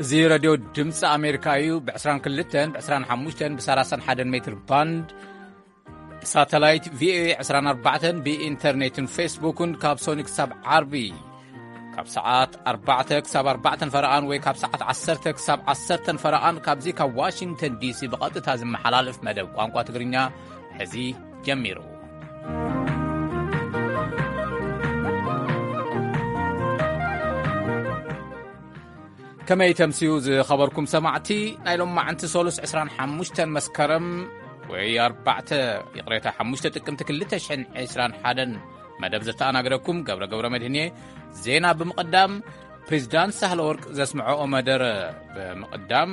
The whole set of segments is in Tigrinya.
እዚ ረድዮ ድምፂ ኣሜሪካ እዩ። ብ22፣ ብ25፣ ብ31 ሜትር ባንድ፣ ብሳተላይት ቪኦኤ 24፣ ብኢንተርኔትን ፌስቡክን ካብ ሶኒ ክሳብ ዓርቢ ካብ ሰዓት ኣርባዕተ ክሳብ ኣርባዕተን ፈረቓን ወይ ካብ ሰዓት ዓሰርተ ክሳብ ዓሰርተን ፈረቓን ካብዚ ካብ ዋሽንግተን ዲሲ ብቐጥታ ዝመሓላለፍ መደብ ቋንቋ ትግርኛ ሕዚ ጀሚሩ። ከመይ ተምስዩ ዝኸበርኩም ሰማዕቲ፣ ናይ ሎማዓንቲ ሶሉስ ዕስራን ሓሙሽተን መስከረም ወይ ኣርባዕተ፣ ይቕሬታ፣ ሓሙሽተ ጥቅምቲ ክልተ ሽሕን ዕስራን ሓደን መደብ ዘተኣናግደኩም ገብረ ገብረ መድህን እየ። ዜና ብምቕዳም፣ ፕሬዚዳንት ሳህለ ወርቅ ዘስምዐኦ መደረ ብምቕዳም፣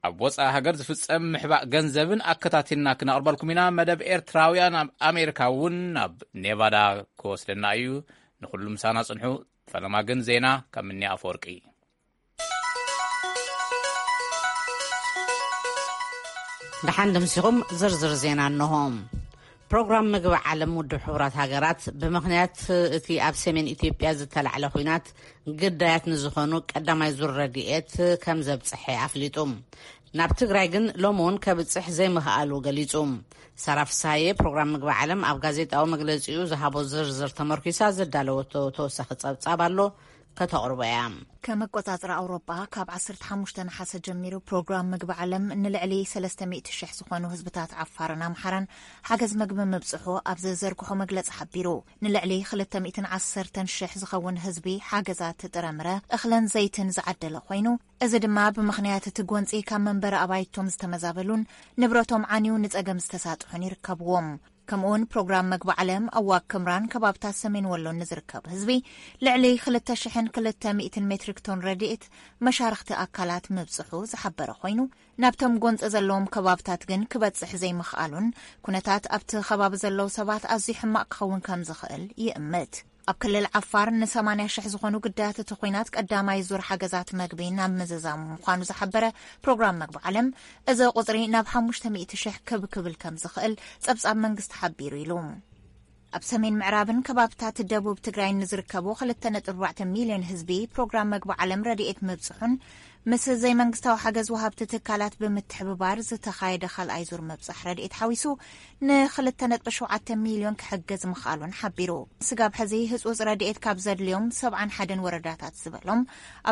ኣብ ወፃኢ ሃገር ዝፍጸም ምሕባእ ገንዘብን ኣከታቲልና ክነቕርበልኩም ኢና። መደብ ኤርትራውያን ኣብ ኣሜሪካ እውን ናብ ኔቫዳ ክወስደና እዩ። ንኹሉ ምሳና ጽንሑ። ፈለማ ግን ዜና ካብ ምንያ ኣፈወርቂ። ደሓን ደምሲኹም ዝርዝር ዜና እንሆ። ፕሮግራም ምግቢ ዓለም ውድብ ሕቡራት ሃገራት ብምኽንያት እቲ ኣብ ሰሜን ኢትዮጵያ ዝተላዕለ ኲናት ግዳያት ንዝኾኑ ቀዳማይ ዙር ረድኤት ከም ዘብጽሐ ኣፍሊጡ። ናብ ትግራይ ግን ሎሚ እውን ከብጽሕ ዘይምኽኣሉ ገሊጹ። ሳራ ፍስሃየ ፕሮግራም ምግቢ ዓለም ኣብ ጋዜጣዊ መግለጺኡ ዝሃቦ ዝርዝር ተመርኪሳ ዘዳለወቶ ተወሳኺ ጸብጻብ ኣሎ፣ ከተቕርቦ እያ። ከም ኣቆጻጽራ ኣውሮጳ፣ ካብ ዓሰርተ ሓሙሽተ ነሓሰ ጀሚሩ ፕሮግራም ምግቢ ዓለም ንልዕሊ ሰለስተ ሚእቲ ሽሕ ዝኾኑ ህዝብታት ዓፋርን ኣምሓራን ሓገዝ ምግቢ ምብጽሑ ኣብ ዘዘርግሖ መግለጺ ሓቢሩ። ንልዕሊ ክልተ ሚእትን ዓሰርተን ሽሕ ዝኸውን ህዝቢ ሓገዛት ጥረምረ፣ እኽልን ዘይትን ዝዓደለ ኮይኑ፣ እዚ ድማ ብምኽንያት እቲ ጎንጺ ካብ መንበሪ ኣባይቶም ዝተመዛበሉን ንብረቶም ዓንዩ ንጸገም ዝተሳጥሑን ይርከብዎም። ከምኡውን ፕሮግራም መግቢ ዓለም ኣብ ዋግ ክምራን ከባብታት ሰሜን ወሎን ንዝርከብ ህዝቢ ልዕሊ ክልተ ሽሕን ክልተ ሚእትን ሜትሪክ ቶን ረድኤት መሻርኽቲ ኣካላት ምብጽሑ ዝሓበረ ኮይኑ፣ ናብቶም ጎንጺ ዘለዎም ከባብታት ግን ክበጽሕ ዘይምኽኣሉን ኩነታት ኣብቲ ከባቢ ዘለዉ ሰባት ኣዝዩ ሕማቕ ክኸውን ከም ዝኽእል ይእምት። ኣብ ክልል ዓፋር ንሰማንያ ሽሕ ዝኾኑ ግዳያት እቲ ኲናት ቀዳማይ ዙር ሓገዛት መግቢ ናብ ምዝዛሙ ምዃኑ ዝሓበረ ፕሮግራም መግቢ ዓለም፣ እዚ ቁጽሪ ናብ ሓሙሽተ ሚእቲ ሽሕ ክብ ክብል ከም ዝኽእል ጸብጻብ መንግስቲ ሓቢሩ ኢሉ። ኣብ ሰሜን ምዕራብን ከባብታት ደቡብ ትግራይን ንዝርከቡ ክልተ ነጥቢ ኣርባዕተ ሚልዮን ህዝቢ ፕሮግራም መግቢ ዓለም ረድኤት ምብጽሑን ምስ ዘይመንግስታዊ ሓገዝ ወሃብቲ ትካላት ብምትሕብባር ዝተኻየደ ካልኣይ ዙር ምብጻሕ ረድኤት ሓዊሱ ንክልተ ነጥቢ ሸውዓተ ሚልዮን ክሕግዝ ምኽኣሉን ሓቢሩ። ስጋብ ሕዚ ህጹጽ ረድኤት ካብ ዘድልዮም ሰብዓን ሓደን ወረዳታት ዝበሎም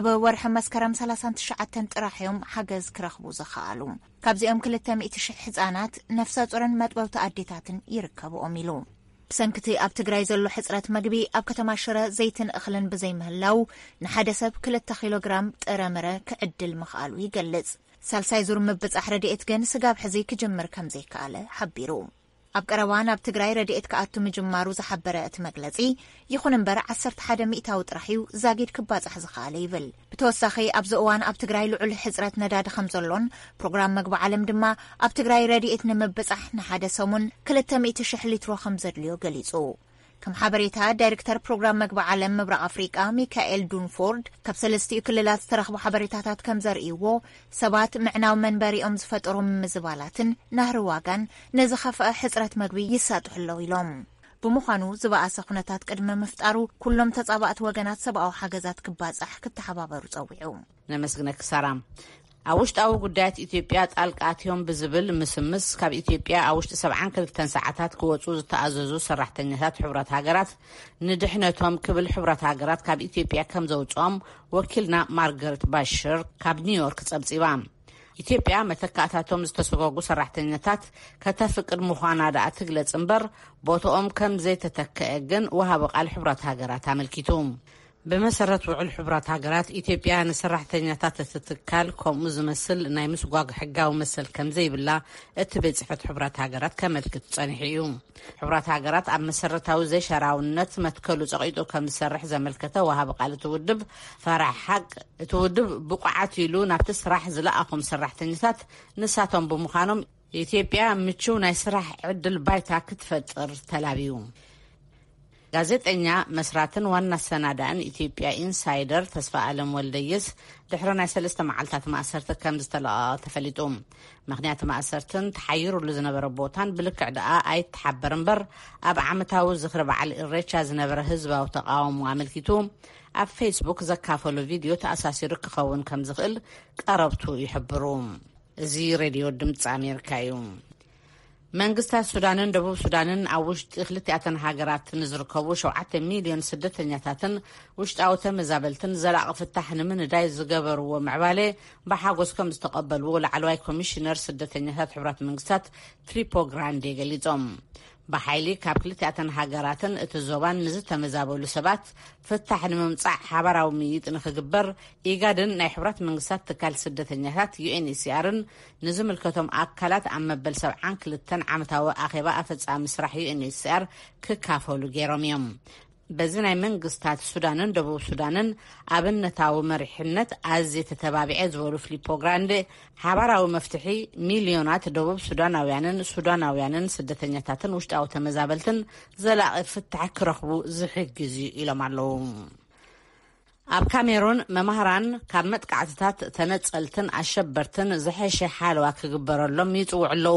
ኣብ ወርሒ መስከረም ሰላሳን ትሽዓተን ጥራሕ እዮም ሓገዝ ክረኽቡ ዝኽኣሉ። ካብዚኦም ክልተ ሚእቲ ሽሕ ህጻናት፣ ነፍሰ ጡርን መጥበውቲ ኣዴታትን ይርከብኦም ኢሉ። ብሰንክቲ ኣብ ትግራይ ዘሎ ሕጽረት መግቢ ኣብ ከተማ ሽረ ዘይትን እኽልን ብዘይምህላው ንሓደ ሰብ ክልተ ኪሎ ግራም ጥረምረ ክዕድል ምኽኣሉ ይገልጽ። ሳልሳይ ዙር ምብጻሕ ረድኤት ግን ስጋብ ሕዚ ክጅምር ከም ዘይከኣለ ሓቢሩ። ኣብ ቀረባ ናብ ትግራይ ረድኤት ክኣቱ ምጅማሩ ዝሓበረ እቲ መግለጺ፣ ይኹን እምበር ዓሰርተ ሓደ ሚእታዊ ጥራሕ እዩ ዛጊድ ክባጻሕ ዝኸኣለ ይብል። ብተወሳኺ ኣብዚ እዋን ኣብ ትግራይ ልዑል ሕጽረት ነዳዲ ከም ዘሎን ፕሮግራም መግቢ ዓለም ድማ ኣብ ትግራይ ረድኤት ንምብጻሕ ንሓደ ሰሙን ክልተ ሚእቲ ሽሕ ሊትሮ ከም ዘድልዮ ገሊጹ። ከም ሓበሬታ ዳይሬክተር ፕሮግራም መግቢ ዓለም ምብራቕ ኣፍሪቃ ሚካኤል ዱንፎርድ፣ ካብ ሰለስቲኡ ክልላት ዝተረኽቡ ሓበሬታታት ከም ዘርእይዎ፣ ሰባት ምዕናው መንበሪኦም ዝፈጠሩ ምምዝባላትን ናህሪ ዋጋን ንዝኸፍአ ሕጽረት መግቢ ይሳጥሑ ኣለዉ ኢሎም። ብምዃኑ ዝበኣሰ ኩነታት ቅድሚ ምፍጣሩ ኩሎም ተጻባእቲ ወገናት ሰብኣዊ ሓገዛት ክባጻሕ ክተሓባበሩ ጸዊዑ። ነመስግነኪ ሳራ። ኣብ ውሽጣዊ ጉዳያት ኢትዮጵያ ጣልቃ ኣትዮም ብዝብል ምስምስ ካብ ኢትዮጵያ ኣብ ውሽጢ ሰብዓን ክልተን ሰዓታት ክወጹ ዝተኣዘዙ ሰራሕተኛታት ሕቡራት ሃገራት ንድሕነቶም ክብል ሕቡራት ሃገራት ካብ ኢትዮጵያ ከም ዘውጽኦም ወኪልና ማርገርት ባሽር ካብ ኒውዮርክ ጸብጺባ። ኢትዮጵያ መተካእታቶም ዝተሰጎጉ ሰራሕተኛታት ከተፍቅድ ምዃና ደኣ ትግለጽ እምበር ቦትኦም ከም ዘይተተከአ ግን ወሃቢ ቃል ሕቡራት ሃገራት ኣመልኪቱ። ብመሰረት ውዕል ሕቡራት ሃገራት፣ ኢትዮጵያ ንሰራሕተኛታት እቲ ትካል ከምኡ ዝመስል ናይ ምስጓግ ሕጋዊ መሰል ከም ዘይብላ እቲ ቤት ጽሕፈት ሕቡራት ሃገራት ከመልክት ጸኒሑ እዩ። ሕቡራት ሃገራት ኣብ መሰረታዊ ዘይሸራውነት መትከሉ ጸቒጡ ከም ዝሰርሕ ዘመልከተ ወሃቢ ቃል እቲ ውድብ፣ ፈራሕ ሓቅ፣ እቲ ውድብ ብቑዓት ኢሉ ናብቲ ስራሕ ዝለኣኾም ሰራሕተኛታት ንሳቶም ብምዃኖም፣ ኢትዮጵያ ምቹው ናይ ስራሕ ዕድል ባይታ ክትፈጥር ተላብዩ። ጋዜጠኛ፣ መስራትን ዋና ኣሰናዳእን ኢትዮጵያ ኢንሳይደር ተስፋ ኣለም ወልደየስ ድሕሪ ናይ ሰለስተ መዓልታት ማእሰርቲ ከም ዝተለቐቐ ተፈሊጡ። ምኽንያት ማእሰርትን ተሓይሩሉ ዝነበረ ቦታን ብልክዕ ደኣ ኣይተሓበር እምበር፣ ኣብ ዓመታዊ ዝኽሪ በዓል ኢሬቻ ዝነበረ ህዝባዊ ተቓውሞ ኣመልኪቱ ኣብ ፌስቡክ ዘካፈሎ ቪድዮ ተኣሳሲሩ ክኸውን ከም ዝኽእል ቀረብቱ ይሕብሩ። እዚ ሬድዮ ድምፂ ኣሜሪካ እዩ። መንግስታት ሱዳንን ደቡብ ሱዳንን ኣብ ውሽጢ ክልቲኣተን ሃገራት ንዝርከቡ ሸውዓተ ሚልዮን ስደተኛታትን ውሽጣዊ ተመዛበልትን ዘላቒ ፍታሕ ንምንዳይ ዝገበርዎ ምዕባለ ብሓጎስ ከም ዝተቐበልዎ ላዕለዋይ ኮሚሽነር ስደተኛታት ሕቡራት መንግስታት ፊሊፖ ግራንዴ ገሊጾም። ብሓይሊ ካብ ክልቲኣተን ሃገራትን እቲ ዞባን ንዝተመዛበሉ ሰባት ፍታሕ ንምምጻእ ሓባራዊ ምይይጥ ንክግበር ኢጋድን ናይ ሕቡራት መንግስታት ትካል ስደተኛታት ዩኤንኤችሲኣርን ንዝምልከቶም ኣካላት ኣብ መበል ሰብዓን ክልተን ዓመታዊ ኣኼባ ኣፈጻሚ ስራሕ ዩኤንኤችሲኣር ክካፈሉ ገይሮም እዮም። በዚ ናይ መንግስታት ሱዳንን ደቡብ ሱዳንን ኣብነታዊ መሪሕነት ኣዝየ ተተባቢዐ ዝበሉ ፊሊፖ ግራንዴ፣ ሓባራዊ መፍትሒ ሚልዮናት ደቡብ ሱዳናውያንን ሱዳናውያንን ስደተኛታትን ውሽጣዊ ተመዛበልትን ዘላቒ ፍታሕ ክረኽቡ ዝሕግዝ እዩ ኢሎም ኣለዉ። ኣብ ካሜሩን መማህራን ካብ መጥቃዕትታት ተነጸልትን ኣሸበርትን ዝሐሸ ሓለዋ ክግበረሎም ይጽውዑ ኣለዉ።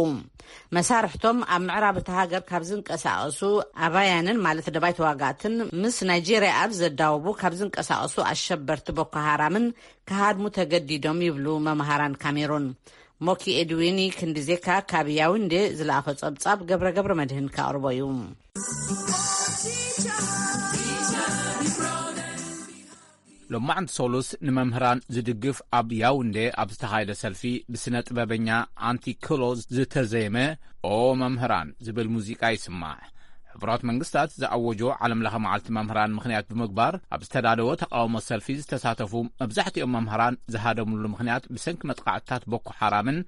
መሳርሕቶም ኣብ ምዕራብ እታ ሃገር ካብ ዝንቀሳቐሱ ኣባያንን ማለት ደባይ ተዋጋእትን ምስ ናይጄርያ ኣብ ዘዳወቡ ካብ ዝንቀሳቐሱ ኣሸበርቲ ቦኮ ሃራምን ክሃድሙ ተገዲዶም ይብሉ መማህራን ካሜሩን። ሞኪ ኤድዊኒ ክንዲዜካ ካብ ያውንዴ ዝለኣኾ ጸብጻብ ገብረ ገብረ መድህን ከቕርቦ እዩ። ሎማዕንቲ ሶሉስ ንመምህራን ዝድግፍ ኣብ ያውንዴ ኣብ ዝተኻየደ ሰልፊ ብስነ ጥበበኛ ኣንቲ ክሎ ዝተዘየመ ኦ መምህራን ዝብል ሙዚቃ ይስማዕ። ሕቡራት መንግስታት ዝኣወጆ ዓለም ለኸ መዓልቲ መምህራን ምኽንያት ብምግባር ኣብ ዝተዳለወ ተቃውሞ ሰልፊ ዝተሳተፉ መብዛሕትኦም መምህራን ዝሃደምሉ ምኽንያት ብሰንኪ መጥቃዕትታት ቦኮ ሓራምን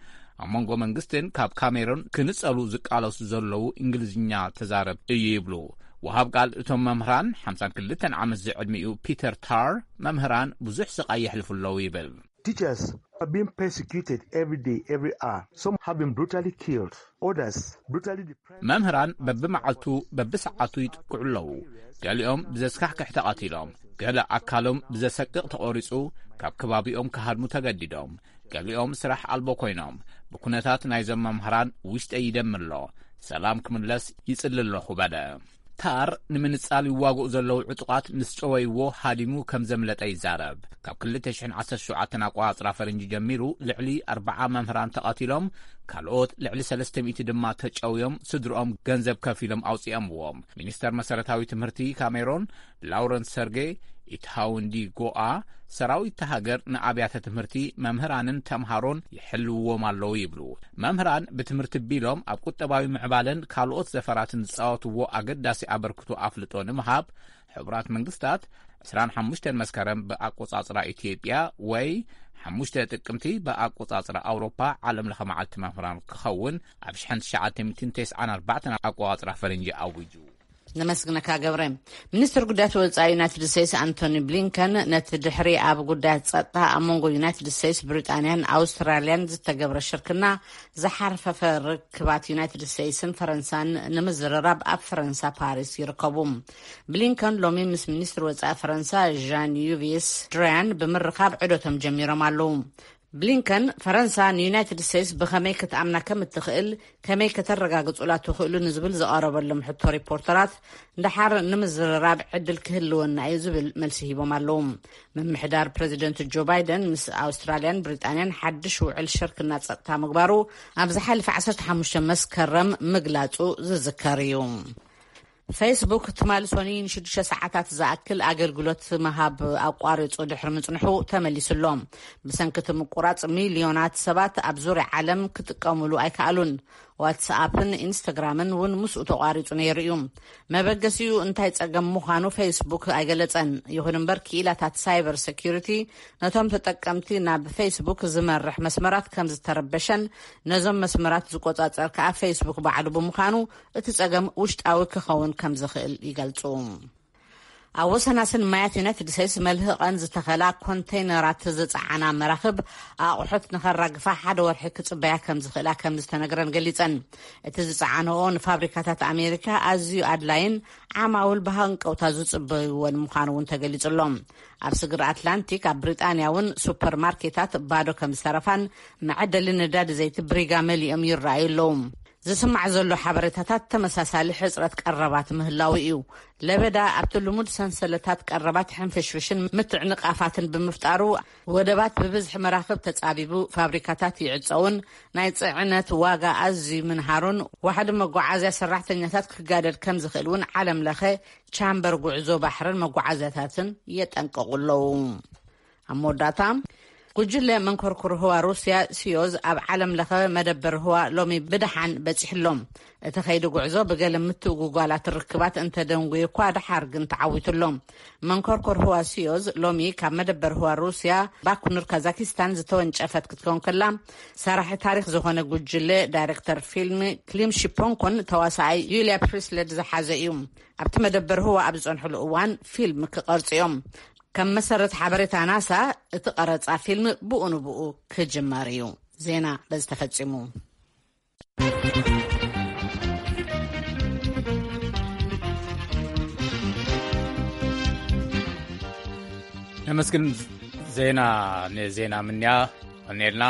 ኣብ መንጎ መንግስትን ካብ ካሜሩን ክንጸሉ ዝቃለሱ ዘለዉ እንግሊዝኛ ተዛረብ እዩ ይብሉ። ወሃብ ቃል እቶም መምህራን ሓምሳን ክልተን ዓመት ዝዕድሚኡ ፒተር ታር መምህራን ብዙሕ ስቃይ የሕልፉ ኣለዉ ይብል። Teachers are being persecuted every day, every hour. Some have been brutally killed, others brutally deprived. መምህራን በብመዓልቱ በብሰዓቱ ይጥቅዑ ኣለዉ። ገሊኦም ብዘስካሕክሕ ተቐቲሎም፣ ገለ ኣካሎም ብዘሰቅቕ ተቖሪጹ፣ ካብ ከባቢኦም ክሃድሙ ተገዲዶም፣ ገሊኦም ስራሕ ኣልቦ ኮይኖም። ብኩነታት ናይዞም መምህራን ውሽጠይ ይደሚ ኣሎ። ሰላም ክምለስ ይጽሊ ኣለኹ በለ። ታር ንምንጻል ይዋግኡ ዘለዉ ዕጡቓት ምስ ጨወይዎ ሃዲሙ ከም ዘምለጠ ይዛረብ። ካብ ክልተ ሽሕን ዓሰርተ ሸውዓተን ኣቆጻጽራ ፈረንጂ ጀሚሩ ልዕሊ ኣርብዓ መምህራን ተቐቲሎም፣ ካልኦት ልዕሊ ሰለስተ ሚእቲ ድማ ተጨውዮም ስድርኦም ገንዘብ ከፊሎም ኣውጺኦምዎም። ሚኒስተር መሰረታዊ ትምህርቲ ካሜሮን ላውረንስ ሰርጌ ኢትሃውንዲ ጎኣ ሰራዊት እታ ሃገር ንኣብያተ ትምህርቲ መምህራንን ተምሃሮን ይሕልውዎም ኣለዉ ይብሉ። መምህራን ብትምህርቲ ቢሎም ኣብ ቁጠባዊ ምዕባለን ካልኦት ዘፈራትን ዝጻወትዎ ኣገዳሲ ኣበርክቶ ኣፍልጦ ንምሃብ ሕቡራት መንግስታት ዕስራን ሓሙሽተን መስከረም ብኣቆጻጽራ ኢትዮጵያ ወይ ሓሙሽተ ጥቅምቲ ብኣቆጻጽራ ኣውሮፓ ዓለም ለኸ መዓልቲ መምህራን ክኸውን ኣብ ሽሕን ትሽዓተ ሚእትን ተስዓን ኣርባዕተን ኣቆጻጽራ ፈረንጂ ኣዊጁ። ነመስግነካ ገብረ። ሚኒስትር ጉዳያት ወጻኢ ዩናይትድ ስቴትስ ኣንቶኒ ብሊንከን ነቲ ድሕሪ ኣብ ጉዳያት ጸጥታ ኣብ መንጎ ዩናይትድ ስቴትስ፣ ብሪጣንያን ኣውስትራልያን ዝተገብረ ሽርክና ዝሓርፈፈ ርክባት ዩናይትድ ስቴትስን ፈረንሳን ንምዝርራብ ኣብ ፈረንሳ ፓሪስ ይርከቡ። ብሊንከን ሎሚ ምስ ሚኒስትር ወጻኢ ፈረንሳ ዣን ዩቪስ ድራያን ብምርኻብ ዑደቶም ጀሚሮም ኣለዉ። ብሊንከን ፈረንሳ ንዩናይትድ ስቴትስ ብኸመይ ክትኣምና ከም እትኽእል፣ ከመይ ከተረጋግጹላ ትኽእሉ ንዝብል ዝቐረበሎም ሕቶ ሪፖርተራት፣ ደሓር ንምዝርራብ ዕድል ክህልወና እዩ ዝብል መልሲ ሂቦም ኣለዉ። ምምሕዳር ፕረዚደንት ጆ ባይደን ምስ ኣውስትራልያን ብሪጣንያን ሓድሽ ውዕል ሽርክና ጸጥታ ምግባሩ ኣብ ዝሓለፈ ዓሰርተ ሓሙሽተ መስከረም ምግላጹ ዝዝከር እዩ። ፌስቡክ ትማሊ ሶኒ ንሽዱሽተ ሰዓታት ዝኣክል ኣገልግሎት ምሃብ ኣቋሪጹ ድሕሪ ምጽንሑ ተመሊሱ ኣሎ። ብሰንኪ እቲ ምቁራጽ ሚልዮናት ሰባት ኣብ ዙርያ ዓለም ክጥቀሙሉ ኣይከኣሉን። ዋትስኣፕን ኢንስታግራምን እውን ምስኡ ተቋሪጹ ነይሩ እዩ። መበገሲኡ እንታይ ጸገም ምዃኑ ፌስቡክ ኣይገለጸን። ይኹን እምበር ክኢላታት ሳይበር ሴኩሪቲ ነቶም ተጠቀምቲ ናብ ፌስቡክ ዝመርሕ መስመራት ከም ዝተረበሸን ነዞም መስመራት ዝቆጻጸር ከኣ ፌስቡክ ባዕሉ ብምዃኑ እቲ ጸገም ውሽጣዊ ክኸውን ከም ዝኽእል ይገልጹ። ኣብ ወሰናስን ማያት ዩናይትድ ስቴትስ መልህቐን ዝተኸላ ኮንቴይነራት ዝጸዓና መራኽብ ኣቑሑት ንኸራግፋ ሓደ ወርሒ ክጽበያ ከም ዝኽእላ ከም ዝተነግረን ገሊጸን። እቲ ዝጸዓንኦ ንፋብሪካታት ኣሜሪካ ኣዝዩ ኣድላይን ዓማውል ብሃንቀውታ ዝጽበይዎን ምዃኑ እውን ተገሊጹ ኣሎ። ኣብ ስግር ኣትላንቲክ ኣብ ብሪጣንያ እውን ሱፐርማርኬታት ባዶ ከም ዝተረፋን መዐደሊ ነዳዲ ዘይቲ ብሪጋ መሊኦም ይረኣዩ ኣለዉ። ዝስማዕ ዘሎ ሓበሬታታት ተመሳሳሊ ሕጽረት ቀረባት ምህላው እዩ። ለበዳ ኣብቲ ልሙድ ሰንሰለታት ቀረባት ሕንፍሽፍሽን ምትዕንቓፋትን ብምፍጣሩ፣ ወደባት ብብዝሒ መራኽብ ተጻቢቡ፣ ፋብሪካታት ይዕጸውን ናይ ጽዕነት ዋጋ ኣዝዩ ምንሃሩን ዋሕዲ መጓዓዝያ ሰራሕተኛታት ክጋደል ከም ዝኽእል እውን ዓለም ለኸ ቻምበር ጉዕዞ ባሕርን መጓዓዝያታትን የጠንቀቑ ኣለዉ። ኣብ መወዳእታ፣ ጉጅለ መንኮርኩር ህዋ ሩስያ ሲዮዝ ኣብ ዓለም ለኸ መደበር ህዋ ሎሚ ብደሓን በጺሕሎም። እቲ ከይዲ ጉዕዞ ብገለ ምትእጉጓላት ርክባት እንተደንጉዩ እኳ፣ ደሓር ግን ተዓዊቱሎም። መንኮርኮር ህዋ ሲዮዝ ሎሚ ካብ መደበር ህዋ ሩስያ ባኩኑር ካዛኪስታን ዝተወንጨፈት ክትከውን ከላ፣ ሰራሒ ታሪክ ዝኾነ ጉጅለ ዳይሬክተር ፊልም ክሊም ሺፖንኮን ተዋሳኣይ ዩልያ ፕሪስለድ ዝሓዘ እዩ። ኣብቲ መደበር ህዋ ኣብ ዝጸንሕሉ እዋን ፊልም ክቐርጹ እዮም። ከም መሰረት ሓበሬታ ናሳ፣ እቲ ቀረጻ ፊልም ብኡ ንብኡ ክጅመር እዩ። ዜና በዚ ተፈጺሙ። ነመስግን። ዜና፣ ንዜና ምንያ ቀኔልና።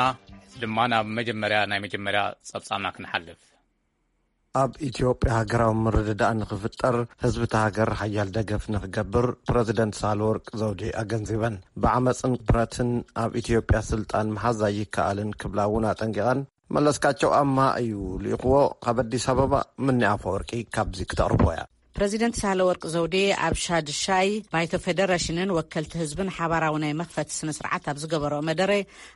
ድማ ናብ መጀመርያ፣ ናይ መጀመርያ ጸብጻብና ክንሓልፍ። ኣብ ኢትዮጵያ ሃገራዊ ምርድዳእ ንኽፍጠር ህዝቢ እቲ ሃገር ሓያል ደገፍ ንኽገብር ፕረዚደንት ሳህለወርቅ ዘውዴ ኣገንዚበን። ብዓመፅን ብረትን ኣብ ኢትዮጵያ ስልጣን ምሓዝ ኣይከኣልን ክብላ እውን ኣጠንቂቐን። መለስካቸው ኣማ እዩ ልኢኽዎ። ካብ ኣዲስ ኣበባ ምኒ ኣፈወርቂ ካብዚ ክተቕርቦ እያ። ፕረዚደንት ሳህለወርቅ ዘውዴ ኣብ ሻድሻይ ባይቶ ፌደሬሽንን ወከልቲ ህዝብን ሓባራዊ ናይ መኽፈቲ ስነ ስርዓት ኣብ ዝገበረኦ መደረ፣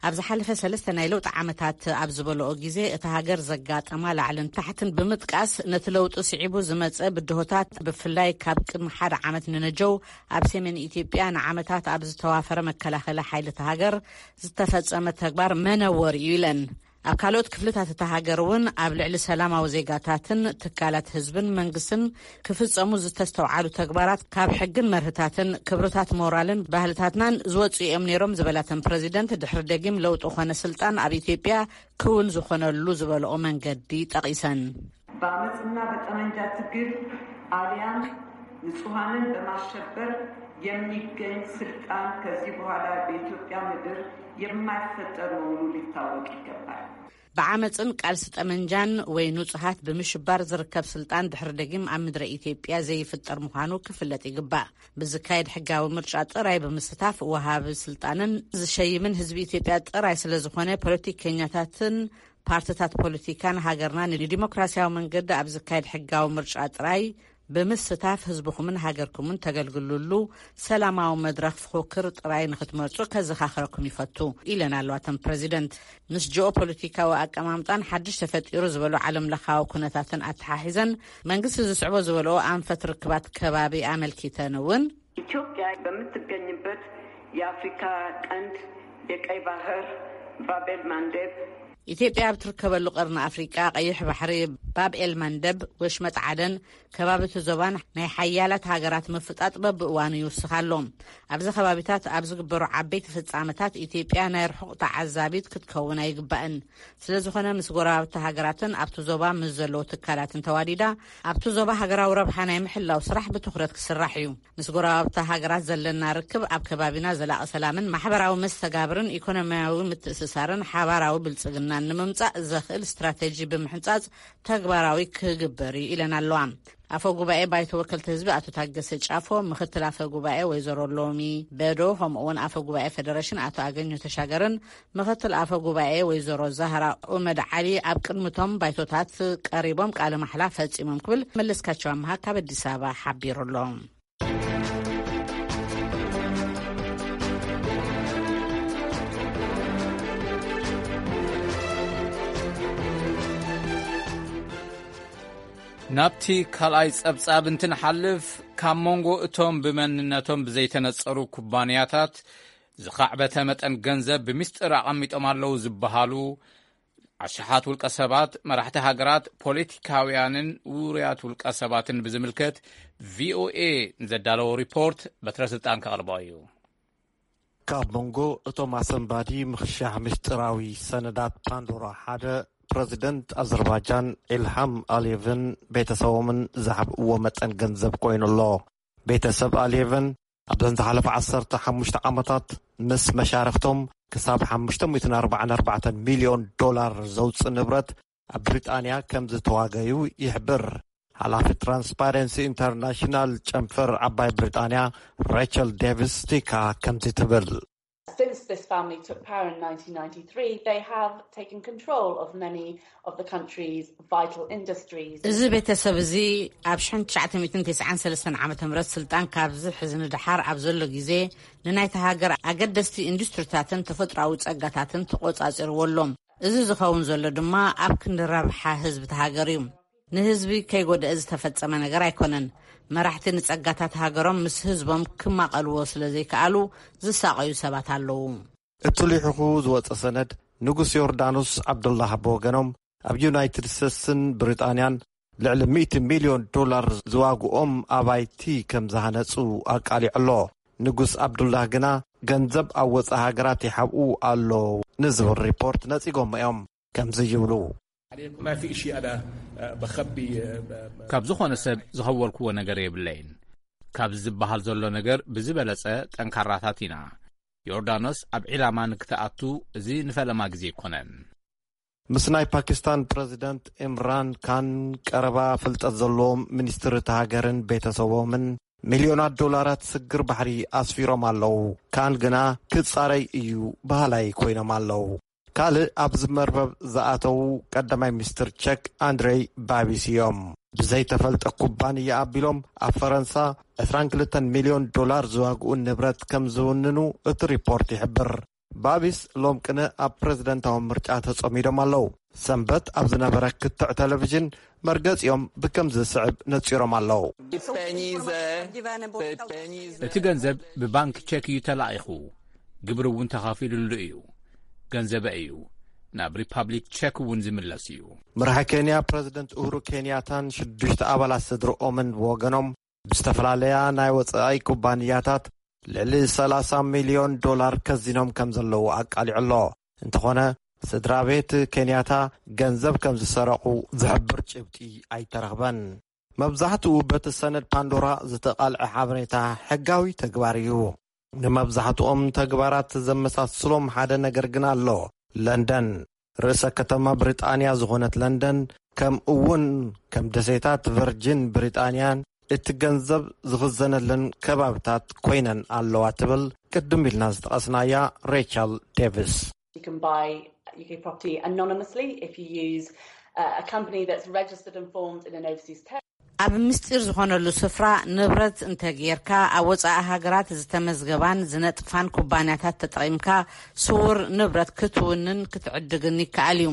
ኣብ ዝሓለፈ ሰለስተ ናይ ለውጢ ዓመታት ኣብ ዝበለኦ ግዜ፣ እታ ሃገር ዘጋጠማ ላዕልን ታሕትን ብምጥቃስ፣ ነቲ ለውጢ ስዒቡ ዝመጸ ብድሆታት፣ ብፍላይ ካብ ቅድሚ ሓደ ዓመት ንነጀው ኣብ ሰሜን ኢትዮጵያ ንዓመታት ኣብ ዝተዋፈረ መከላኸሊ ሓይሊ እታ ሃገር ዝተፈጸመ ተግባር መነወር እዩ ኢለን። ኣብ ካልኦት ክፍልታት እታ ሃገር እውን ኣብ ልዕሊ ሰላማዊ ዜጋታትን ትካላት ህዝብን መንግስትን ክፍጸሙ ዝተስተውዓሉ ተግባራት ካብ ሕግን መርህታትን ክብርታት ሞራልን ባህልታትናን ዝወጹ እዮም ነይሮም ዝበላተን ፕረዚደንት፣ ድሕሪ ደጊም ለውጢ ኮነ ስልጣን ኣብ ኢትዮጵያ ክውን ዝኾነሉ ዝበለኦ መንገዲ ጠቒሰን። በአመፅና በጠመንጃ ትግል አሊያም ንጹሐንን በማሸበር የሚገኝ ስልጣን ከዚህ በኋላ በኢትዮጵያ ምድር የማይፈጠር መሆኑ ሊታወቅ ይገባል። ብዓመፅን ቃልሲ ጠመንጃን ወይ ንጹሃት ብምሽባር ዝርከብ ስልጣን ድሕሪ ደጊም ኣብ ምድረ ኢትዮጵያ ዘይፍጠር ምዃኑ ክፍለጥ ይግባእ። ብዝካየድ ሕጋዊ ምርጫ ጥራይ ብምስታፍ ወሃቢ ስልጣንን ዝሸይምን ህዝቢ ኢትዮጵያ ጥራይ ስለ ዝኾነ፣ ፖለቲከኛታትን ፓርትታት ፖለቲካን ሃገርና ንዲሞክራሲያዊ መንገዲ ኣብ ዝካየድ ሕጋዊ ምርጫ ጥራይ ብምስታፍ ህዝብኹምን ሃገርኩምን ተገልግሉሉ ሰላማዊ መድረኽ ፍኹክር ጥራይ ንኽትመርጹ ከዘኻኽረኩም ይፈቱ ኢለን ኣለዋ እተን ፕረዚደንት። ምስ ጂኦ ፖለቲካዊ ኣቀማምጣን ሓድሽ ተፈጢሩ ዝበሉ ዓለም ለኻዊ ኩነታትን ኣተሓሒዘን መንግስቲ ዝስዕቦ ዝበለኦ ኣንፈት ርክባት ከባቢ ኣመልኪተን እውን ኢትዮጵያ በምትገኝበት የአፍሪካ ቀንድ የቀይ ባህር ባብ ኤል ማንዴብ ኢትዮጵያ ኣብ ትርከበሉ ቀርኒ ኣፍሪቃ ቀይሕ ባሕሪ፣ ባብ ኤል ማንደብ፣ ወሽመጥ ዓደን፣ ከባቢ እቲ ዞባን ናይ ሓያላት ሃገራት ምፍጣጥ በብእዋኑ ይውስኽ ኣሎ። ኣብዚ ከባቢታት ኣብ ዝግበሩ ዓበይቲ ፍጻመታት ኢትዮጵያ ናይ ርሑቕ ተዓዛቢት ክትከውን ኣይግባእን። ስለ ዝኾነ ምስ ጎረባብቲ ሃገራትን ኣብቲ ዞባ ምስ ዘለዉ ትካላትን ተዋዲዳ ኣብቲ ዞባ ሃገራዊ ረብሓ ናይ ምሕላው ስራሕ ብትኹረት ክስራሕ እዩ። ምስ ጎረባብቲ ሃገራት ዘለና ርክብ ኣብ ከባቢና ዘላቒ ሰላምን ማሕበራዊ መስተጋብርን ኢኮኖሚያዊ ምትእስሳርን ሓባራዊ ብልጽግናን ንምምጻእ ዘኽእል ስትራቴጂ ብምሕንጻጽ ተግባራዊ ክግበር እዩ ኢለን ኣለዋ። ኣፈ ጉባኤ ባይቶ ወከልቲ ህዝቢ ኣቶ ታገሰ ጫፎ፣ ምክትል ኣፈ ጉባኤ ወይዘሮ ሎሚ በዶ፣ ከምኡ እውን ኣፈ ጉባኤ ፌደሬሽን ኣቶ ኣገኘሁ ተሻገርን ምክትል ኣፈ ጉባኤ ወይዘሮ ዛህራ ኡመድ ዓሊ ኣብ ቅድሚቶም ባይቶታት ቀሪቦም ቃለ ማሕላ ፈጺሞም ክብል መለስካቸው ኣምሃ ካብ ኣዲስ ኣበባ ሓቢሩ ኣሎ። ናብቲ ካልኣይ ጸብጻብ እንትንሓልፍ፣ ካብ መንጎ እቶም ብመንነቶም ብዘይተነጸሩ ኩባንያታት ዝኻዕበተ መጠን ገንዘብ ብምስጢር ኣቐሚጦም ኣለዉ ዝበሃሉ ኣሽሓት ውልቀ ሰባት፣ መራሕቲ ሃገራት፣ ፖለቲካውያንን ውሩያት ውልቀ ሰባትን ብዝምልከት ቪኦኤ ንዘዳለዎ ሪፖርት በትረ ስልጣን ከቕርቦ እዩ። ካብ መንጎ እቶም ኣሰንባዲ ምኽሻሕ ምስጢራዊ ሰነዳት ፓንዶራ ሓደ፣ ፕረዚደንት ኣዘርባጃን ኢልሃም ኣልየቭን ቤተሰቦምን ዝሃብእዎ መጠን ገንዘብ ኮይኑ ኣሎ። ቤተሰብ ኣልየቭን ኣብዘን ዝሓለፈ ዓሰርተ ሓሙሽተ ዓመታት ምስ መሻርኽቶም ክሳብ ሓሙሽተ ሚእትን ኣርባዓን ኣርባዕተን ሚልዮን ዶላር ዘውፅእ ንብረት ኣብ ብሪጣንያ ከም ዝተዋገዩ ይሕብር። ሓላፊ ትራንስፓረንሲ ኢንተርናሽናል ጨንፈር ዓባይ ብሪጣንያ ሬቸል ዴቪስ ቲካ ከምዚ ትብል። Since this family took power in nineteen ninety-three, they have taken control of many of the country's vital industries. እዚ ቤተሰብ እዚ ኣብ ሽሕን ትሽዓተ ሚእትን ተስዓን ሰለስተን ዓመተ ምህረት ስልጣን ካብ ዝሕዝ ንደሓር ኣብ ዘሎ ግዜ፣ ንናይታ ሃገር ኣገደስቲ ኢንዱስትሪታትን ተፈጥሮኣዊ ጸጋታትን ተቖጻጺርዎ ኣሎ። እዚ ዝኸውን ዘሎ ድማ ኣብ ክንዲ ረብሓ ህዝቢ እታ ሃገር እዩ። ንህዝቢ ከይጎደአ ዝተፈጸመ ነገር ኣይኮነን። መራሕቲ ንጸጋታት ሃገሮም ምስ ህዝቦም ክማቐልዎ ስለ ዘይከኣሉ ዝሳቐዩ ሰባት ኣለዉ። እቲ ልሒኹ ዝወጸ ሰነድ፣ ንጉስ ዮርዳኖስ ዓብዱላህ ብወገኖም ኣብ ዩናይትድ ስቴትስን ብሪጣንያን ልዕሊ ሚእቲ ሚልዮን ዶላር ዝዋግኦም ኣባይቲ ከም ዝሃነጹ ኣቃሊዑ ኣሎ። ንጉስ ዓብዱላህ ግና ገንዘብ ኣብ ወጻኢ ሃገራት ይሓብኡ ኣሎ ንዝብል ሪፖርት ነጺጎሞ እዮም። ከምዚ ይብሉ። ما في إشي أنا بخبي. ካብ ዝኾነ ሰብ ዝኸወልክዎ ነገር የብለይን። ካብ ዝበሃል ዘሎ ነገር ብዝበለጸ ጠንካራታት ኢና። ዮርዳኖስ ኣብ ዒላማ ንክትኣቱ እዚ ንፈለማ ግዜ ኣይኮነን። ምስ ናይ ፓኪስታን ፕረዚደንት ኢምራን ካን ቀረባ ፍልጠት ዘለዎም ሚኒስትሪ እቲ ሃገርን ቤተሰቦምን ሚልዮናት ዶላራት ስግር ባሕሪ ኣስፊሮም ኣለዉ። ካን ግና ክጻረይ እዩ በሃላይ ኮይኖም ኣለዉ። ካልእ ኣብዚ መርበብ ዝኣተዉ ቀዳማይ ሚኒስትር ቸክ ኣንድሬይ ባቢስ እዮም። ብዘይተፈልጠ ኩባንያ ኣቢሎም ኣብ ፈረንሳ ዕስራን ክልተን ሚልዮን ዶላር ዝዋግኡ ንብረት ከም ዝውንኑ እቲ ሪፖርት ይሕብር። ባቢስ ሎም ቅነ ኣብ ፕረዚደንታዊ ምርጫ ተጸሚዶም ኣለዉ። ሰንበት ኣብ ዝነበረ ክትዕ ቴሌቪዥን መርገጺኦም ብከምዚ ዝስዕብ ነጺሮም ኣለዉ። እቲ ገንዘብ ብባንክ ቸክ እዩ ተላኢኹ፣ ግብሪ እውን ተኻፊሉሉ እዩ። ገንዘበ እዩ ናብ ሪፓብሊክ ቸክ እውን ዝምለስ እዩ። መራሒ ኬንያ ፕረዚደንት ኡሁሩ ኬንያታን ሽዱሽተ ኣባላት ስድርኦምን ብወገኖም ብዝተፈላለያ ናይ ወጻኢ ኩባንያታት ልዕሊ ሰላሳ ሚልዮን ዶላር ከዚኖም ከም ዘለዉ ኣቃሊዑ ኣሎ። እንተኾነ ስድራ ቤት ኬንያታ ገንዘብ ከም ዝሰረቑ ዝሕብር ጭብጢ ኣይተረኽበን። መብዛሕትኡ በቲ ሰነድ ፓንዶራ ዝተቓልዐ ሓበሬታ ሕጋዊ ተግባር እዩ። ንመብዛሕትኦም ተግባራት ዘመሳስሎም ሓደ ነገር ግን ኣሎ። ለንደን፣ ርእሰ ከተማ ብሪጣንያ ዝኾነት ለንደን፣ ከምኡ እውን ከም ደሴታት ቨርጂን ብሪጣንያን እቲ ገንዘብ ዝኽዘነለን ከባብታት ኮይነን ኣለዋ ትብል ቅድም ኢልና ዝጠቐስናያ ሬቸል ዴቪስ። You can buy U K property anonymously if you use uh, a company that's registered and formed in an overseas territory. ኣብ ምስጢር ዝኾነሉ ስፍራ ንብረት እንተጌርካ፣ ኣብ ወጻኢ ሃገራት ዝተመዝገባን ዝነጥፋን ኩባንያታት ተጠቒምካ ስውር ንብረት ክትውንን ክትዕድግን ይከኣል እዩ።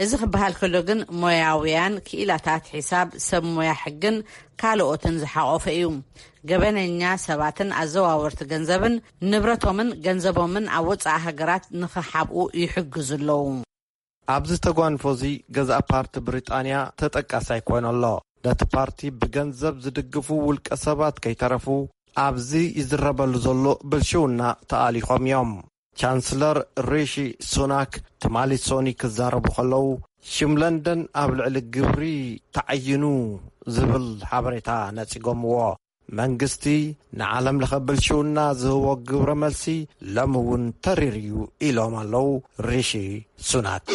እዚ ክበሃል ከሎ ግን ሞያውያን ክኢላታት ሒሳብ፣ ሰብ ሞያ ሕግን ካልኦትን ዝሓቖፈ እዩ። ገበነኛ ሰባትን ኣዘዋወርቲ ገንዘብን ንብረቶምን ገንዘቦምን ኣብ ወጻኢ ሃገራት ንኽሓብኡ ይሕግዙ ኣለዉ። ኣብዚ ተጓንፎ እዚ ገዛእ ፓርቲ ብሪጣንያ ተጠቃሳይ ኮይኑ ኣሎ። ነቲ ፓርቲ ብገንዘብ ዝድግፉ ውልቀ ሰባት ከይተረፉ ኣብዚ ይዝረበሉ ዘሎ ብልሽውና ተኣሊኾም እዮም። ቻንስለር ሪሺ ሱናክ ትማሊ ሶኒ ክዛረቡ ከለዉ ሽም ለንደን ኣብ ልዕሊ ግብሪ ተዓይኑ ዝብል ሓበሬታ ነጺጎምዎ። መንግስቲ ንዓለም ለኸ ብልሽውና ዝህቦ ግብረ መልሲ ሎሚ እውን ተሪር እዩ ኢሎም ኣለዉ ሪሺ ሱናክ።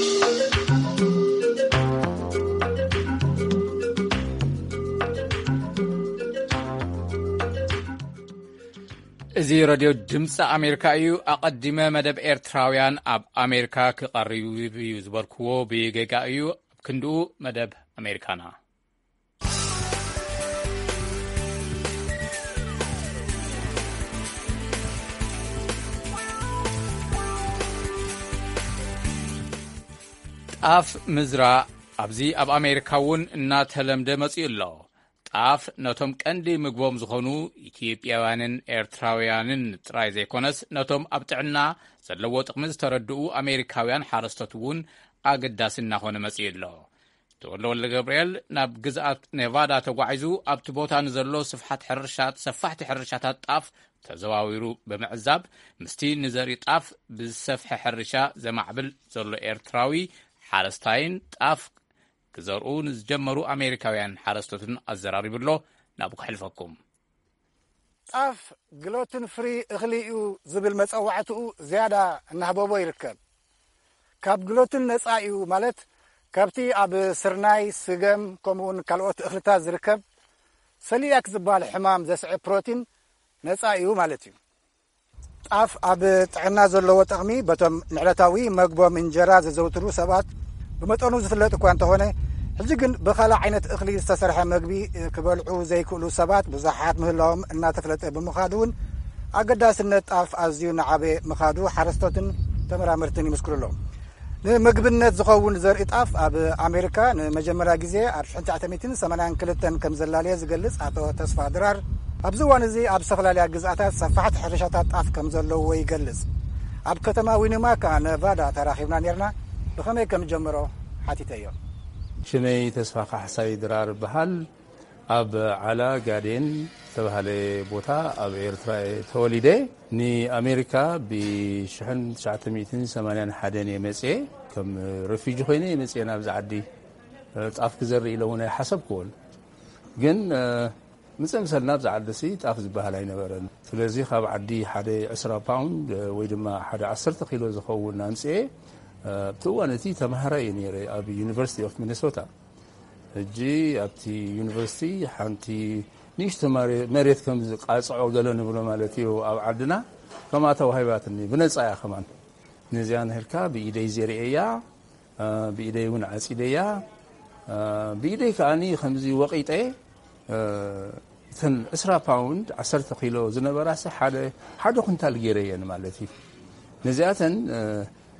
እዚ ረድዮ ድምፂ ኣሜሪካ እዩ። ኣቐዲመ መደብ ኤርትራውያን ኣብ ኣሜሪካ ክቐርብ እዩ ዝበልክዎ ብጌጋ እዩ። ክንድኡ መደብ ኣሜሪካና። ጣፍ ምዝራእ ኣብዚ ኣብ ኣሜሪካ እውን እናተለምደ መፂኡ ኣሎ። ጣፍ ነቶም ቀንዲ ምግቦም ዝኾኑ ኢትዮጵያውያንን ኤርትራውያንን ጥራይ ዘይኮነስ፣ ነቶም ኣብ ጥዕና ዘለዎ ጥቕሚ ዝተረድኡ ኣሜሪካውያን ሓረስቶት እውን ኣገዳሲ እናኾነ መፂኡ ኣሎ። ተወልደ ወልደ ገብርኤል ናብ ግዝኣት ኔቫዳ ተጓዒዙ ኣብቲ ቦታ ንዘሎ ስፍሓት ሕርሻት፣ ሰፋሕቲ ሕርሻታት ጣፍ ተዘዋዊሩ ብምዕዛብ፣ ምስቲ ንዘርኢ ጣፍ ብዝሰፍሐ ሕርሻ ዘማዕብል ዘሎ ኤርትራዊ ሓረስታይን ጣፍ ክዘርኡ ንዝጀመሩ ኣሜሪካውያን ሓረስቶትን ኣዘራሪቡ ኣሎ። ናብኡ ከሕልፈኩም። ጣፍ ግሎትን ፍሪ እኽሊ እዩ ዝብል መጸዋዕትኡ ዝያዳ እናህበቦ ይርከብ። ካብ ግሎትን ነጻ እዩ ማለት ካብቲ ኣብ ስርናይ፣ ስገም፣ ከምኡውን ካልኦት እኽልታት ዝርከብ ሰሊያክ ዝበሃል ሕማም ዘስዕብ ፕሮቲን ነጻ እዩ ማለት እዩ። ጣፍ ኣብ ጥዕና ዘለዎ ጠቕሚ በቶም ንዕለታዊ መግቦም እንጀራ ዘዘውትሩ ሰባት ብመጠኑ ዝፍለጥ እኳ እንተኾነ፣ ሕጂ ግን ብኻልእ ዓይነት እኽሊ ዝተሰርሐ መግቢ ክበልዑ ዘይክእሉ ሰባት ብዙሓት ምህላዎም እናተፍለጠ ብምኻዱ እውን ኣገዳስነት ጣፍ ኣዝዩ እናዓበየ ምኻዱ ሓረስቶትን ተመራመርትን ይምስክሩ ኣለዉ። ንምግብነት ዝኸውን ዘርኢ ጣፍ ኣብ ኣሜሪካ ንመጀመርያ ግዜ ኣብ ሽሕን ትሽዓተ ሚእትን ሰማንያን ክልተን ከም ዘላለየ ዝገልጽ ኣቶ ተስፋ ድራር፣ ኣብዚ እዋን እዚ ኣብ ዝተፈላለያ ግዝኣታት ሰፋሕቲ ሕርሻታት ጣፍ ከም ዘለውዎ ይገልጽ። ኣብ ከተማ ዊኒማካ ነቫዳ ተራኺብና ኔርና። ብኸመይ ከም ጀመሮ ሓቲተዮ። ሽመይ ተስፋ ካሕሳይ ድራር እበሃል። ኣብ ዓላ ጋዴን ዝተባህለ ቦታ ኣብ ኤርትራ እየ ተወሊደ። ንኣሜሪካ ብ ሽሕን ትሽዓተ ሚእትን ሰማንያን ሓደን እየ መጽየ። ከም ረፊጂ ኮይነ እየ መጽየ ናብዚ ዓዲ። ጣፍ ክዘርእ ኢለ እውን ኣይሓሰብክዎን። ግን፣ እ፣ ምጽእ ምሰልና ኣብዚ ዓዲ ሲ ጣፍ ዝበሃል ኣይነበረን። ስለዚ ካብ ዓዲ ሓደ ዕስራ ፓውንድ፣ እ፣ ወይ ድማ ሓደ ዓሰርተ ኪሎ ዝኸውን ኣምጽኤ። እ፣ ኣብቲ እዋን እቲ ተማሃራይ እየ ነይረ ኣብ ዩኒቨርሲቲ ኦፍ ሚኒሶታ። ሕጂ ኣብቲ ዩኒቨርሲቲ ሓንቲ ንእሽቶ መሬ-፣ መሬት ከም ዝቃጽዖ ገለ ንብሎ ማለት እዩ ኣብ ዓድና፣ ከምኣ ተዋሂባትኒ። ብነጻ እያ ከማን። ነዚኣ ነሂርካ ብኢደይ ዘርእያ፣ እ፣ ብኢደይ እውን ዓጺደያ፣ እ፣ ብኢደይ ከኣኒ ከምዚ ወቒጠ፣ እ፣ እተን ዕስራ ፓውንድ፣ ዓሰርተ ኪሎ ዝነበራሲ ሓደ፣ ሓደ ኩንታል ገይረየን ማለት እዩ። ነዚኣተን፣ እ፣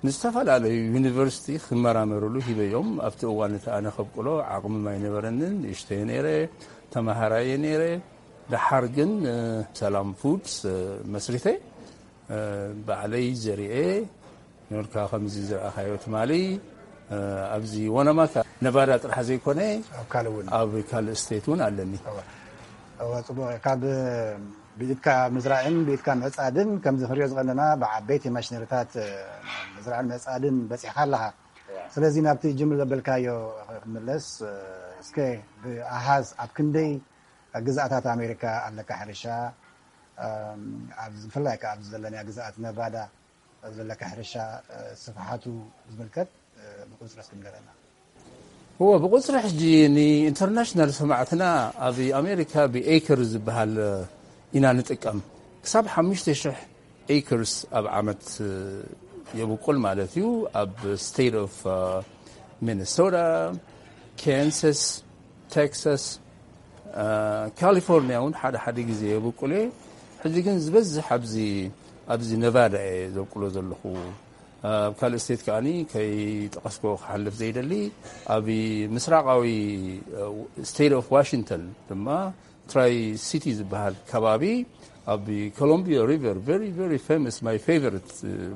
ንዝተፈላለዩ ዩኒቨርሲቲ ክመራመርሉ ሂበዮም። ኣብቲ እዋን እቲ ኣነ ከብቅሎ ዓቕምም ኣይነበረንን፣ ንእሽተየ ነይረ፣ ተማሃራየ ነይረ። ደሓር ግን፣ እ፣ ሰላም ፉድስ፣ እ፣ መስሪተ፣ እ፣ ባዕለይ ዘርኤ፣ ኖርካ ከምዚ ዝረኣኻዮ ትማሊ፣ እ፣ ኣብዚ ወነማካ ነቫዳ ጥራሕ ዘይኮነ፣ ኣብ ካልእ እውን። ኣብ ካልእ ስቴት እውን ኣለኒ። እወ። እወ፣ ጽቡቕ። ካብ ብኢድካ ምዝራእን ብኢድካ ምዕጻድን፣ ከምዚ ክንሪኦ ዝቐነና ብዓበይቲ ማሽነሪታት፣ እ፣ ምዝራእን ምዕጻድን በጺሕካ ኣለኻ። እወ። ስለዚ ናብቲ ጅምር ዘበልካዮ ክምለስ፣ እ፣ እስከ ብኣሃዝ ኣብ ክንደይ ግዝኣታት ኣሜሪካ ኣለካ ሕርሻ፣ እም፣ ኣብ ብፍላይ ከኣ ኣብዚ ዘለናዮ ግዝኣት ነቫዳ ዘለካ ሕርሻ፣ እ፣ ስፍሓቱ ዝምልከት፣ እ፣ ብቁጽሪ እስኪ ንገረና። እወ፣ ብቁጽሪ ሕጂ ንኢንተርናሽናል ሰማዕትና ኣብ ኣሜሪካ ብኤከር ዝበሃል ኢና ንጥቀም። ክሳብ ሓሙሽተ ሽሕ ኤከርስ ኣብ ዓመት የብቁል ማለት እዩ። ኣብ ስቴት ኦፍ ሚኒሶታ፣ ካንሳስ፣ ቴክሳስ፣ ካሊፎርኒያ እውን ሓደ ሓደ ግዜ የብቁል እየ። ሕጂ ግን ዝበዝሕ ኣብዚ፣ ኣብዚ ነቫዳ እየ ዘብቁሎ ዘለኹ። ኣብ ካልእ ስቴት ከኣኒ ከይጠቐስኮ ክሓልፍ ዘይደሊ፣ ኣብ ምስራቃዊ ስቴት ኦፍ ዋሽንግተን ድማ ትራይ ሲቲ ዝበሃል ከባቢ ኣብ ኮሎምቢያ ሪቨር፣ very very famous, my favorite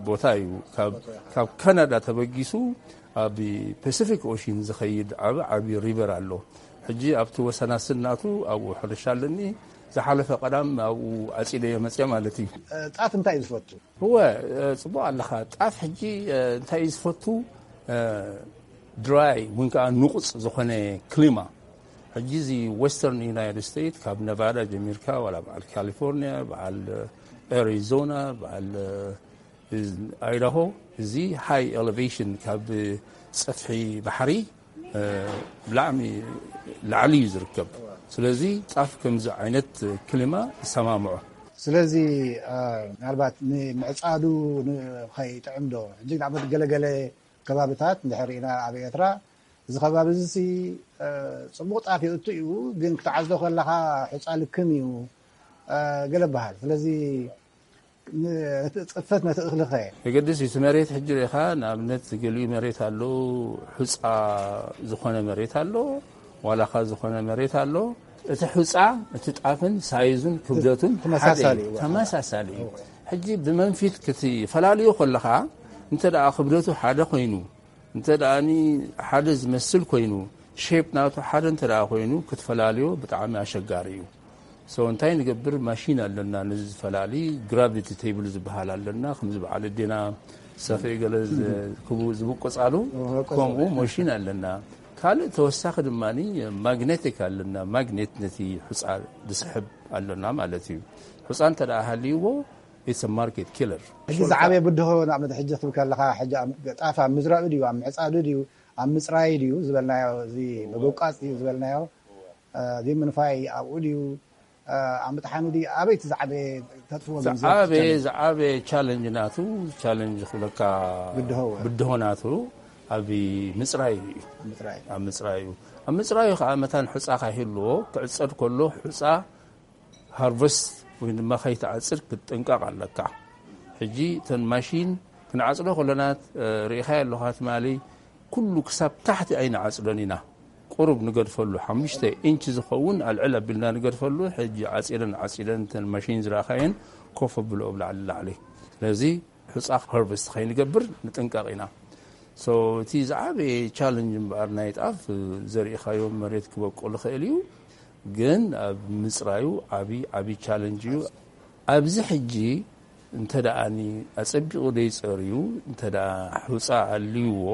ቦታ እዩ። ካብ፣ ካብ ካናዳ ተበጊሱ ኣብ ፓሲፊክ ኦሽን ዝኸይድ ዓቢ ዓቢ ሪቨር ኣሎ። ሕጂ ኣብቲ ወሰናስን ናቱ ኣብኡ ሕርሻ ኣለኒ። ዝሓለፈ ቀዳም ኣብኡ ዓጺደዮ መጽየ ማለት እዩ። እ፣ ጣፍ እንታይ እዩ ዝፈቱ? እወ፣ እ፣ ጽቡቕ ኣለኻ። ጣፍ ሕጂ፣ እ፣ እንታይ እዩ ዝፈቱ? እ፣ ድራይ ወይ ከዓ ንቑጽ ዝኾነ ክሊማ። ሕጂ እዚ ዌስተርን ዩናይትድ ስቴትስ ካብ ነቫዳ ጀሚርካ ዋላ በዓል ካሊፎርኒያ፣ በዓል፣ እ፣ ኣሪዞና፣ በዓል፣ እ፣ ኣይዳሆ፣ እዚ ሃይ ኤሌቬሽን ካብ ጸፍሒ ባሕሪ፣ እ፣ ብላዕሚ ላዕሊ እዩ ዝርከብ። ስለዚ ጣፍ ከምዚ ዓይነት ክሊማ ይሰማምዖ። ስለዚ፣ እ፣ ምናልባት ንምዕጻዱ ን-፣ ኸይጥዕም ዶ? ሕጂ ንኣብነት ገለገለ ከባብታት እንድሕር ርኢና ኣብ ኤርትራ እዚ ከባቢ እዚ ሲ፣ እ፣ ጽቡቕ ጣፍ የእቱ እዩ፣ ግን ክትዓጽዶ ከለኻ ሑጻ ልክም እዩ፣ እ፣ ገለ በሃል። ስለዚ ን-፣ ነቲ ጽፈት ነቲ እኽሊ ኸ? የገድስ እዩ። እቲ መሬት ሕጂ ርኢኻ፣ ንኣብነት ገሊኡ መሬት ኣሎ፣ ሑጻ ዝኾነ መሬት ኣሎ፣ ዋላኻ ዝኾነ መሬት ኣሎ። እቲ ሑጻ፣ እቲ ጣፍን ሳይዙን ክብደቱን ተመሳሳሊ ሓደ እዩ። እዩ። ተመሳሳሊ እዩ። እወ። ሕጂ ብመንፊት ክትፈላልዮ ከለኻ፣ እንተ ደኣ ክብደቱ ሓደ ኮይኑ፣ እንተ ደኣኒ ሓደ ዝመስል ኮይኑ፣ ሼፕ ናቱ ሓደ እንተ ደኣ ኮይኑ፣ ክትፈላልዮ ብጣዕሚ ኣሸጋሪ እዩ። ሶ እንታይ ንገብር? ማሽን ኣለና፣ ነዚ ዝፈላሊ ግራቪቲ ቴብል ዝበሃል ኣለና። ከምዚ በዓል ኣዴና ሰፍኢ ገለ ዝ-፣ ክቡ-፣ ዝብቆጻሉ፣ ዝብቆጻሉ። ከምኡ ማሽን ኣለና። ካልእ ተወሳኺ ድማ ማግኔቲክ ኣለና። ማግኔት ነቲ ሑጻ ዝስሕብ ኣለና ማለት እዩ። ሑጻ እንተ ደኣ ሃልይዎ፣ it's a market killer። ሕጂ ዝዓበየ ብድሆ ንኣብነት ሕጂ ክትብል ከለኻ፣ ሕጂ ኣብ ጣፍ ኣብ ምዝራኡ ድዩ፣ ኣብ ምዕጻዱ ድዩ፣ ኣብ ምፅራይ ድዩ ዝበልናዮ፣ እዚ ምብቋፅ ድዩ ዝበልናዮ፣ እዚ ምንፋይ ኣብኡ ድዩ፣ ኣብ ምጥሓኑ ድዩ፣ ኣበይ እቲ ዝዓበየ ተጥፍዎ ግን ዝያዳ ዝዓበየ ቻለንጅ? ዝዓበየ ቻለንጅ ናቱ፣ ቻለንጅ ክብለካ ብድሆ ወ- ብድሆ ናቱ ኣብ ምፅራይ እዩ። ምፅራይ። ኣብ ምፅራይ እዩ። ኣብ ምፅራይ እዩ ከዓ መታን ሑፃ ካይህልዎ ክዕፀድ ከሎ ሑፃ ሃርቨስት ወይ ድማ ከይትዓፅድ ክትጥንቀቕ ኣለካ። ሕጂ እተን ማሽን ክንዓፅዶ ከለና እ፣ ርኢኻዮ ኣለኻ ትማሊ ኩሉ ክሳብ ታሕቲ ኣይንዓፅዶን ኢና። ቁሩብ ንገድፈሉ ሓሙሽተ ኢንች ዝኸውን ኣልዕል ኣቢልና ንገድፈሉ። ሕጂ ዓፂደን ዓፂደን እተን ማሽን ዝረእኻየን ኮፍ ኣብልኦ ብላዕሊ ላዕሊ። ስለዚ ሑፃ ሃርቨስት ከይንገብር ንጥንቀቕ ኢና። ሶ እቲ ዝዓበየ ቻለንጅ እምበኣር ናይ ጣፍ ዘሪእኻዮ መሬት ክበቁል ይኽእል እዩ፣ ግን ኣብ ምፅራዩ ዓብዪ ዓብዪ ቻለንጅ እዩ። ኣብዚ ሕጂ እንተ ደኣኒ ኣጸቢቑ ደይጸርዩ እንተ ደኣ ሑጻ ኣልይዎ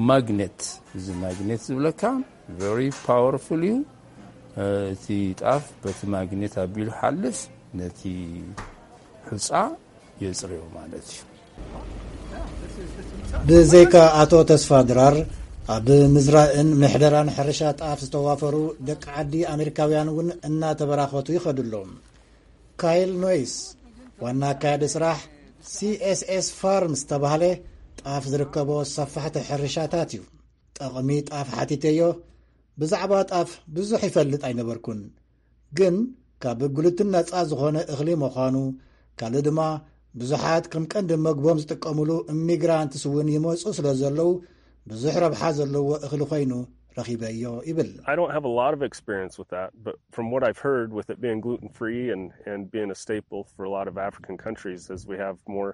ማግኔት፣ እዚ ማግኔት ዝብለካ ቨሪ ፓወርፉል እዩ። እቲ ጣፍ በቲ ማግኔት ኣቢሉ ሓልፍ ነቲ ሑጻ የጽርዮ ማለት እዩ። ብዘይካ ኣቶ ተስፋ ድራር፣ ኣብ ምዝራእን ምሕደራን ሕርሻ ጣፍ ዝተዋፈሩ ደቂ ዓዲ ኣሜሪካውያን እውን እናተበራኸቱ ይኸዱ ኣለዉ። ካይል ኖይስ፣ ዋና ኣካያዲ ስራሕ ሲ ኤስ ኤስ ፋርም ዝተባህለ ጣፍ ዝርከቦ ሰፋሕቲ ሕርሻታት እዩ። ጠቕሚ ጣፍ ሓቲተዮ። ብዛዕባ ጣፍ ብዙሕ ይፈልጥ ኣይነበርኩን፣ ግን ካብ ግሉትን ነጻ ዝኾነ እኽሊ ምዃኑ፣ ካልእ ድማ ብዙሓት ከም ቀንዲ መግቦም ዝጥቀሙሉ ኢሚግራንትስ እውን ይመጹ ስለ ዘለዉ፣ ብዙሕ ረብሓ ዘለዎ እኽሊ ኮይኑ ረኺበዮ ይብል። I don't have a lot of experience with that, but from what I've heard, with it being gluten free and, and being a staple for a lot of African countries, as we have more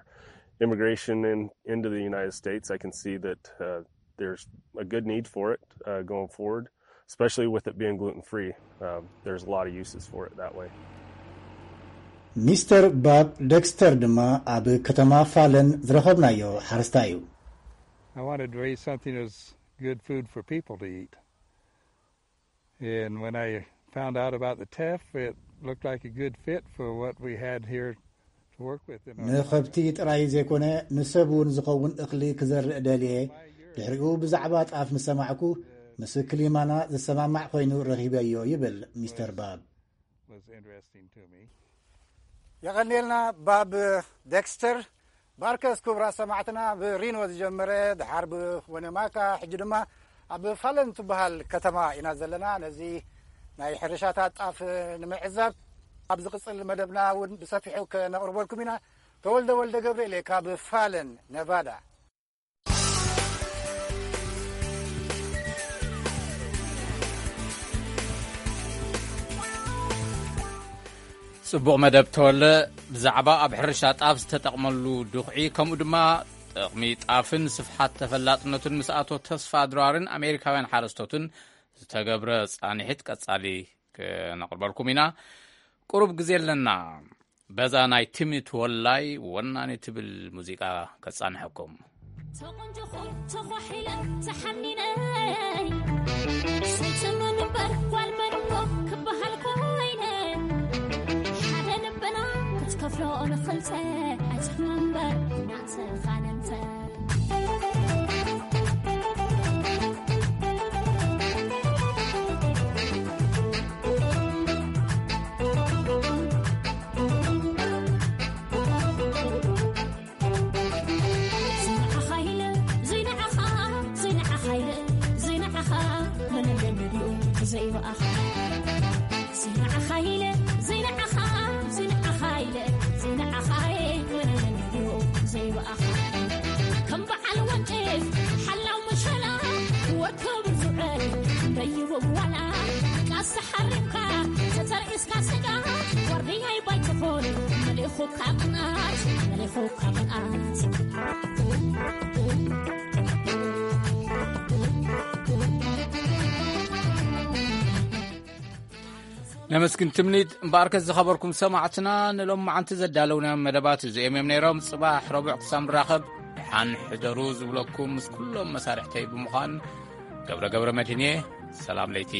immigration in, into the United States, I can see that uh, there's a good need for it uh, going forward, especially with it being gluten free. Um, there's a lot of uses for it that way. ሚስተር ባብ ደክስተር ድማ ኣብ ከተማ ፋለን ዝረኸብናዮ ሓረስታይ እዩ። I wanted to raise something that's good food for people to eat. And when I found out about the teff, it looked like a good fit for what we had here to work with. In our ንኸብቲ ጥራይ ዘይኮነ ንሰብ እውን ዝኸውን እኽሊ ክዘርእ ደልየ። ድሕሪኡ ብዛዕባ ጣፍ ምስ ሰማዕኩ ምስ ክሊማና ዝሰማማዕ ኮይኑ ረኺበዮ ይብል ሚስተር ባብ። Was interesting to me. የቐንየልና ባብ ደክስተር። ባርከስ ክቡራት ሰማዕትና፣ ብሪኖ ዝጀመረ ድሓር ብወነማካ፣ ሕጂ ድማ ኣብ ፋለን ትበሃል ከተማ ኢና ዘለና። ነዚ ናይ ሕርሻታት ጣፍ ንምዕዛብ ኣብ ዝቕጽል መደብና እውን ብሰፊሑ ከነቕርበልኩም ኢና። ተወልደ ወልደ ገብርኤል እየ ካብ ፋለን ነቫዳ። ጽቡቕ መደብ ተወለ። ብዛዕባ ኣብ ሕርሻ ጣፍ ዝተጠቕመሉ ድኹዒ፣ ከምኡ ድማ ጥቕሚ ጣፍን ስፍሓት ተፈላጥነቱን ምስ ኣቶ ተስፋ ድራርን ኣሜሪካውያን ሓረስቶትን ዝተገብረ ጻንሒት ቀጻሊ ክነቕርበልኩም ኢና። ቁሩብ ግዜ ኣለና። በዛ ናይ ትምኒት ወላይ ወናኒ ትብል ሙዚቃ ከጻንሐኩም። ተቖንጆኹ ተዃሒለ ተሓኒነ፣ ሰይቲ መን እምበር ጓል መን እሞ ክበሃል ኮይነ፣ ሓደ ልብና ክትከፍሎ ንኽልተ ኣይትሕመ እምበር ናተኻ ነንተ። ዘይንዓኻ ኢለ፣ ዘይንዓኻ፣ ዘይንዓኻ ኢለ፣ ዘይንዓኻ፣ መን ኣለኒ ድኡ ብዘይ ብኣኻ? ዘይንዓኻ ኢለ፣ ዘይንዓኻ፣ ዘይንዓኻ ኢለ፣ ዘይንዓኻ፣ መን ኣለኒ ድኡ ብዘይ ብኣኻ? ከም በዓል ወንጭፍ ሓላው መሸላ፣ ወርክብ ዝውዕል ደይቡ ዋላ፣ ቃሳ ሓሪምካ ተተርዒስካ ስጋ፣ ዋርድያይ ባይትኾን መሊኹካ ቅንኣት፣ መሊኹካ ቅንኣት። ነመስግን ትምኒት። እምበኣርከስ ዝኸበርኩም ሰማዕትና፣ ንሎሚ መዓንቲ ዘዳለውናዮም መደባት እዚኦም እዮም ነይሮም። ጽባሕ ረቡዕ ክሳብ ንራኸብ፣ ደሓን ሕደሩ ዝብለኩም ምስ ኩሎም መሳርሕተይ ብምዃን ገብረ ገብረ መድህን እየ። ሰላም ለይቲ።